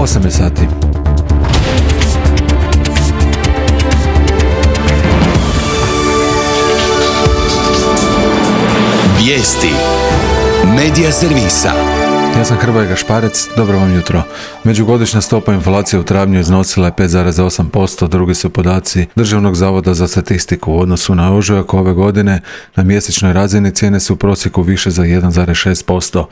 8 je sati. Vijesti Medija servisa. Ja sam Hrvoje Gašparec, dobro vam jutro. Međugodišnja stopa inflacije u travnju iznosila je 5,8%, drugi su podaci Državnog zavoda za statistiku. U odnosu na ožujak ove godine na mjesečnoj razini cijene su u prosjeku više za 1,6%.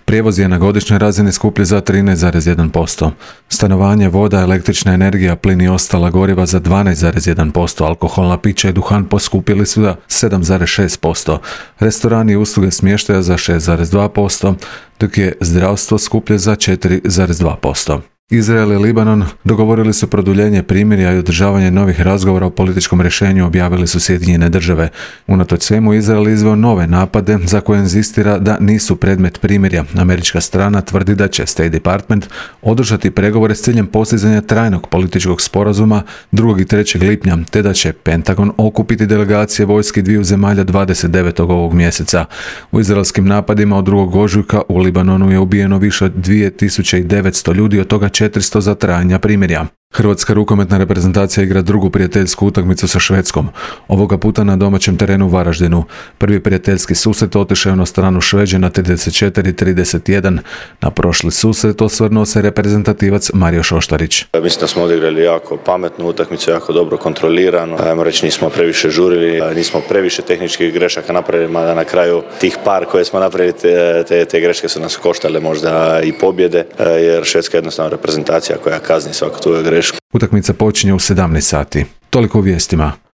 Prijevoz je na godišnjoj razini skuplji za 13,1%. Stanovanje, voda, električna energija, plin i ostala goriva za 12,1%. Alkoholna pića i duhan poskupili su za 7,6%. Restorani i usluge smještaja za 6,2%, dok je zdravstvo skuplje za 4,2%. Izrael i Libanon dogovorili su produljenje primirja i održavanje novih razgovora o političkom rješenju, objavili su Sjedinjene države. Unatoč svemu, Izrael izveo nove napade za koje inzistira da nisu predmet primirja. Američka strana tvrdi da će State Department održati pregovore s ciljem postizanja trajnog političkog sporazuma 2. i 3. lipnja, te da će Pentagon okupiti delegacije vojski dviju zemalja 29. ovog mjeseca. U izraelskim napadima od 2. ožujka u Libanonu je ubijeno više od 2900 ljudi, od toga 400 za trajanja primirja. Hrvatska rukometna reprezentacija igra drugu prijateljsku utakmicu sa Švedskom. Ovoga puta na domaćem terenu u Varaždinu. Prvi prijateljski susret otišao je na stranu Šveđana 34-31. Na prošli susret osvrnuo se reprezentativac Mario Šoštarić. Mislim da smo odigrali jako pametnu utakmicu, jako dobro kontrolirano. Ajmo reći, nismo previše žurili, nismo previše tehničkih grešaka napravili, mada na kraju tih par koje smo napravili, te greške su nas koštale možda i pobjede, jer Švedska je jednostavno reprezentacija koja kazni svaku tu grešku. Utakmica počinje u 17 sati. Toliko u vijestima.